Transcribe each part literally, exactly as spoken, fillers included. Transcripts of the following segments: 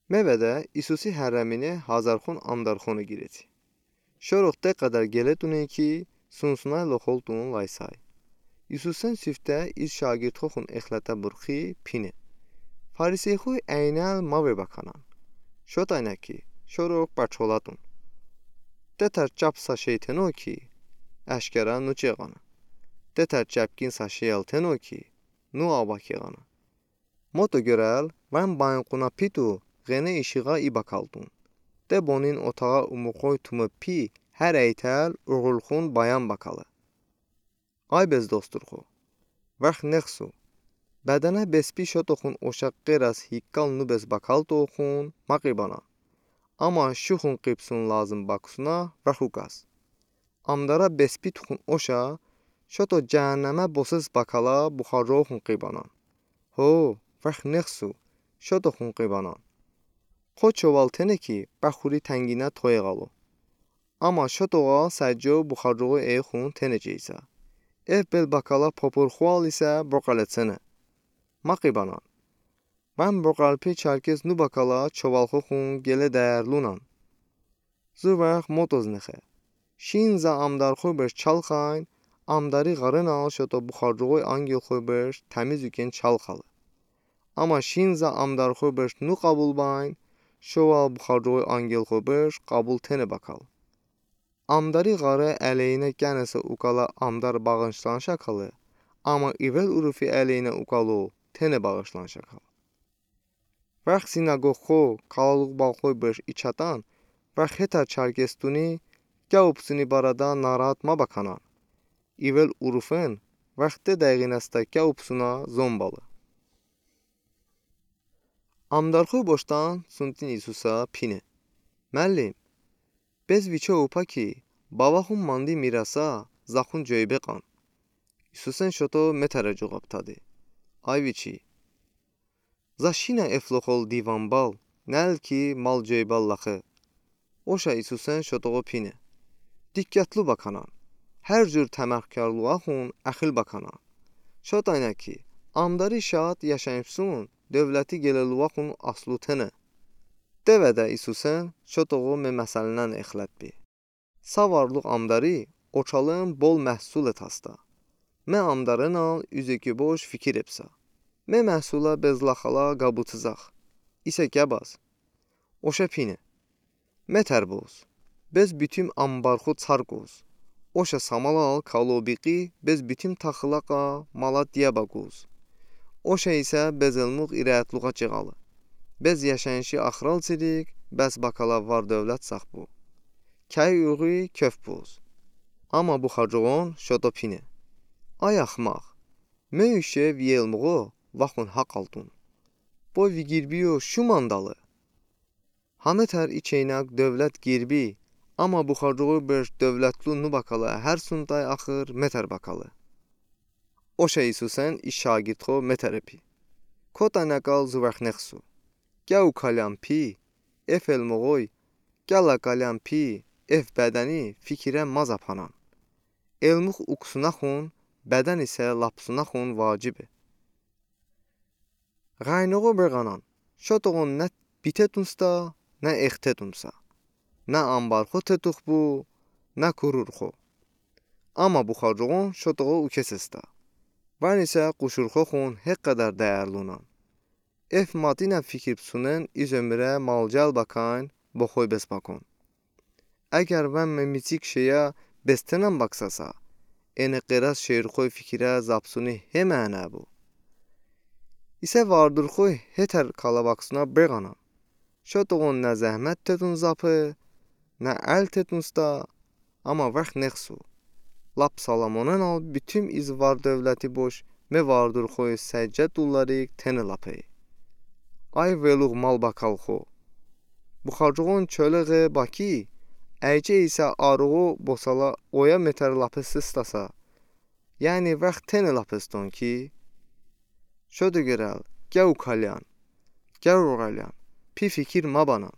Mevədə İsusi hərəminə hazərxon amdarxoni girəti. Şorox de ğədər geletune ki, sunsunay loxoltun laysay. İsusen sifte iz şagirdxoxon exlətə burxi pine: Fariseyxoy əynəl mavebəkənan. Şotaynə ki, şorox bəçolatun. Detər çəp sa şey teno ki, əşkəra nuçeğanə. Detər çəpkin sa şeyəl teno ki, nu abakeğanə. Moto görəl, vən baynquna pitu ğənə işığa i bəkaltun. De bonin otağə umurxoy tumı pi hər əytəl uğurlxon bayan bəkalı. Ay bez dosturxo, vəx nexsu. Bədənə bespi şotoxon oşə qeras hiqqal nu bez bəkaltoxon maqibənən. Amma şuxon qibsun lazım bəksuna vəx ukəs. Amdara bespi tuxon oşə şoto cəhənnəmə boses bəkala buxarcoxon qibənən. Ho, vəx nexsu, şotoxon qibənən. Xo çoval tene ki, bəxuri tənginə toyeğalo. Amma şotoğa səcco buxarcoğoy eyxon tenecəysə. Ev bel bəkala popurxual isə boqəletsene. Maqibənən. Vən boqəlpi çərkes nu bəkala çovalxoxon qelə dəyərlunən. Zu vəx motoz nexe. Şinzə amdarxoy bış çalxayn, amdari ğarınal şoto buxarcoğoy angelxoy bış təmiz uken çalxalı. Amma şinzə amdarxoy bış nu ğəbulbayn, şoval buxarcoğoy angelxoy bış ğəbul tene bəkal. Amdari ğarı ələyinə qənəsə ukala amdar bağışlanış əkəlı, amma ivel urufi ələyinə ukalo tene bağışlanış əkəl. Vəx sinaqoqxo, kalaluq balxoy bış içətən, vəx hetər çərkes tuni, kəupsuni barədə narahat məbəkənən. İvel urufen, vəx de dəğinəsdə kəupsuna zombalı. Amdarxoy boştən suntin İsusə pine: Məllim, bez viço upə ki, bavaxon mandi mirəsə zəxon coybeqən. İsusen şoto metərə coğabtədi: Ay viçi, zə şinə efloxol divanbal, nəl ki mal coybəl ləxi. Oşə İsusen şotoğo pine: Diqqətlu bəkənən. Hər cür təmərkarluəxon əxil bəkənən. Şotaynə ki, amdari şaat yaşayışson dövləti qeləluəxon aslu tene. Devədə İsusen şotoğo me məsələn exlətbi. Sa varlıq amdari oçalın bol məhsulə tastə. Me amdarınal üzeki boş fikir epsə. Me məhsulə bez ləxələ ğəbutızəx. İsə kəbaz. Oşə pine: Metər boz. Bez bütün ambarxo çarkoz. Oşə samalal kalobiqi bez bütün taxıləqə mala diyəbəqoz. Oşə isə bez elmuğ irətluğə çığalı. Bez yaşayışi axral çirik, bəs bəkələ var dövlət saxbu. Kəy uği köf boz. Amma buxarcoğon şoto pine: Ay axmaq, me üşe vi elmuğo vəxon haqq altun. Bo vi qirbiyo şu mandalı. Həmətər içeynək dövlət qirbi, amma buxarcoğoy bış dövlətlu nu bəkələ, hər suntay axır metər bəkələ. Oşə İsusən i şagirdxo metər epi. Kotaynəkəl zu vəx nexsu. Kəu kələn pi, ef elmuğoy, kələ kələn pi, ef bədəni fikirə məzəpənən. Elmuğ uksunəxon, bədən isə lapsunəxon vacibe. Ğaynoğo bırğanən, şotoğon nə bitetunstə, nə extetunsə. Nə ambarxo tetuxbu, nə kururxo. Amma buxarcoğon şotoğo ukesestə. Vən isə quşurxoxon heqədər dəyərlunən. Ef matinə fikir bısunen iz ömürə malcəl bəkayn boxoy bes bəkon. Əgər vən me miçik şeyə bes tenən bəksəsə, ene qeras şeyrxoy fikirə zəbsuni he məna bu. İsə vardırxoy hetər kala bəksuna bırğanən. Şotoğon nə zəhmət tetun zəpe, nə əl tetunstə, amma vəx nexsu. Lap Salomonənal bütün iz var dövləti boş me vardırxoy səccə dulları tene ləpe. Ay veluğ mal bəkalxo. Buxarcoğon çölə ğe bəki, əyçə isə aruğo bosala oya metər ləpe sıstəsə. Yəni vəx tene ləpeston ki, şoto qırəl, kəu kələn, kəu ğələn, pi fikir məbənən.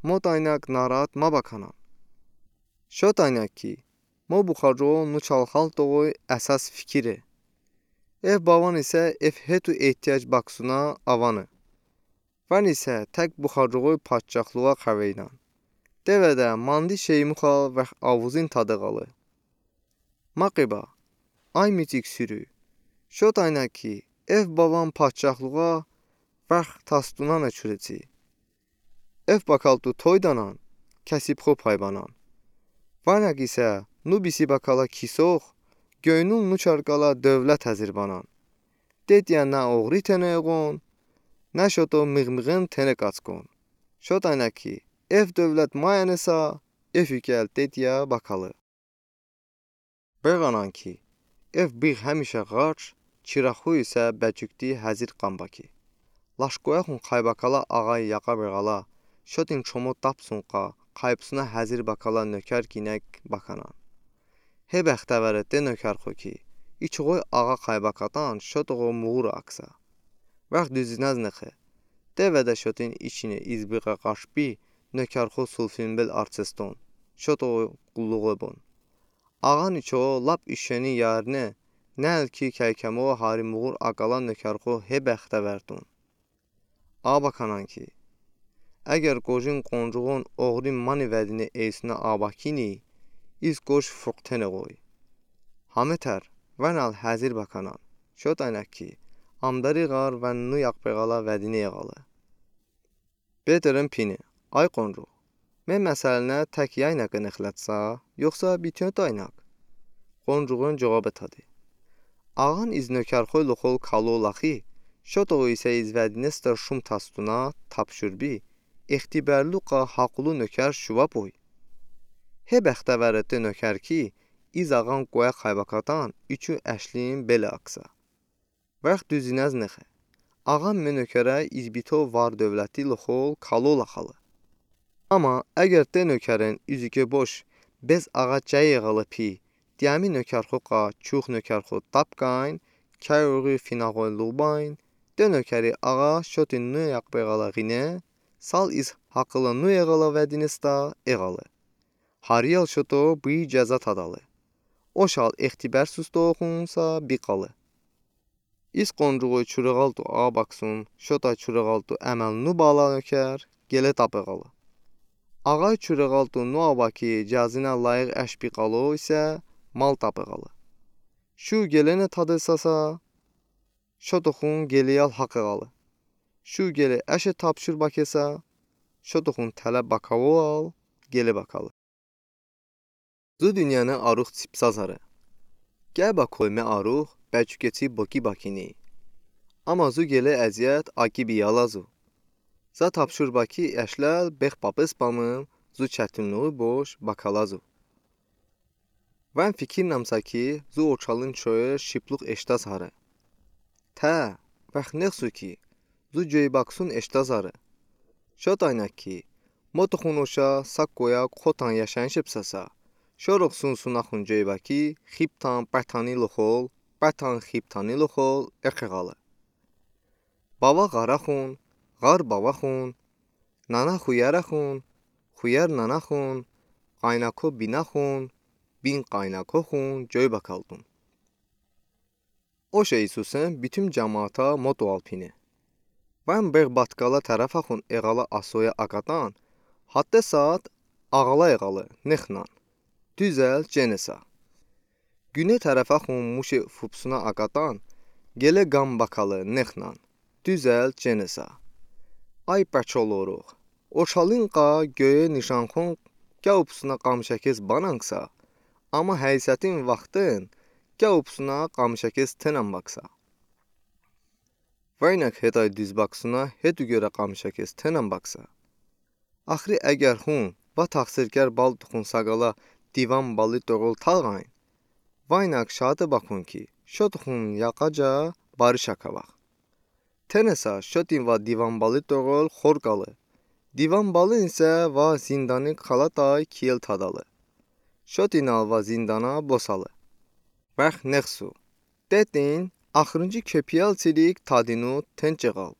Motaynək narahat məbəkənən. Şotaynək ki, mo buxarcoğo nu çalxaltoğoy əsas fikire. Ef bəvən isə ef hetu ehtiyac bəksuna əvane. Vən isə tək buxacoğoy padşahlığa xəveynən. Devədə mandi şeymuxal vəx avuzin tadı qalı. Maqıba, ay micik sürü, şotaynə ki, ev bavan padşahlığa vəx tastunanə çürəçi. Ev bakaltu toydanan, kəsibxo pay banan. Vənək isə nu bisi bakala kisox, göynün nu çarkala dövlət həzir banan. Dediyə nə oğri tenə eğon, nə şoto mığmığın tenə qaçqon. Şotaynə ki, ev dövlət mayənəsə, ev ükəl dediyə bakalı. Bığanan ki, ev bığ həmişə ğarç, çıraqxu isə bəcükdi həzir qan baki. Laşkoyəxun xaybakala ağay yaqa bığala, şotin çomo tapsunqa, xaybsuna həzir bakala nökər kinək bakanan. He bəxtəvəre de nökərxo ki, içoğoy ağa xaybakatan şotoğo muğur aksa. Vəx düzinəz nıxı. Devədə şotin içinə izbığə qaşbi nökərxo sulfinbel artseston. Şotoğo qulluğo bon. Ağan iço lap işeni yarine, nəlki kəykəmo hari muğur aqala nökərxo he bəxtəvərdun. A bakanan ki, əgər qocin qoncuğon oğrin mani vədini eysunə a bakini, iz qoc fıqtene qoy. Hametər, vənəl həzir bakanan. Şotaynə ki, amdari ğar vən nu yaqbeğala vədini eğalı. Beterin pini, ay qoncuğ. Me məsəlinə tək yaynəqi nıxlətsə, yoxsa bütün taynəq? Qoncuğun cıvobe tadı. Ağan iz nökərxoy loxol kalo laxi, şotoğu isə iz vədinəstə şum tastuna tapşurbi, extiberluqa haqulu nökər şuvapoy. He bəxtəvəre de nökər ki, iz ağan qoyə xaybakatan üçü əşlin beli aksa. Vəx düzinəz nıxı. Ağan me nökərə izbito var dövləti loxol kalo laxalı. Amma əgər de nökərin üzüke boş, bez ağa çəy eğalı pi, diyəmi nökərxo qa, çux nökərxo tapkayn, kəy oğri finağoy luğbayn, de nökəri ağa şotin nu yaqbeğala ğine, sal iz haqılı nu eğala vədinəstə eğalı. Hariyal şoto bıy cəza tadalı. Oşal extiber sustoxunsa biqalı. İz qoncuğu çurığaltu a baksun, şota çurığaltu əməl nu bala nökər, gele tapıqalı. Ağay çurığaltu nu a baki cəzinə layıq əş biqalo isə mal tapıqalı. Şu gelenə tadısasa, şotoxun geleyal haqıqalı. Şu gele əşe tapşur bakesə, şotoxun tələ bakavoal, gele bakalı. Zu dünyənə arux çipsəz hare. Gəbə koyme arux bəçükeçi boki bakini. Amma zu gələ əziyyət aki biyalazu. Za tapşur baki əşləl bex papıs bamım zu çətinluğu boş bakalazu. Vən fikirnəmsə ki, zu oçalın çoye şıplux eştəz hare. Tə, vəx nexsu ki, zu coy baksun eştəz hare. Şotaynə ki, motoxun oşa sa koyə xotan yaşayış epsəsə, şorox sunsunaxun coy baki, xiptan bətani loxol, bətan xiptani loxol eqeğalı. Bava ğaraxun, ğar bavaxun, nana xuyəraxun, xuyər nanaxun, qaynako binaxun, bin qaynakoxun coy bakaldun. Oşe İsusen bütün cəmaata motoal pine. Vən beğ batkala tərəfəxun eğala asoyə akatan, hatte saat ağala eğalı nexnan. Düzəl cenesə. Günə tərəfəxun muşe fupsuna akatan, gələ qan bakalı nexnan. Düzəl cenesə. Ay bəçol oruğ. Oşalın qa göyə nişanxon qə upsuna qamışəkəs bananqsa, amma həysətin vaxtın qə upsuna qamışəkəs tenən baksa. Vəynək hetay düz baksuna hetu görə qamışəkəs tenən baksa. Axri əgər xun, va taxsirkər baltuxun saqala divan bali toğul talğayn. Vəynək şatı bakun ki, şotuxun yaqaca barış akavax. Tenesə şotin va divan bali toğul xorkalı. Divan balın isə va zindani qalatay kiyel tadalı. Şotinal va zindana bosalı. Vəx nexsu. Detin, axırıncı köpiyal çilik tadinu tençeğal.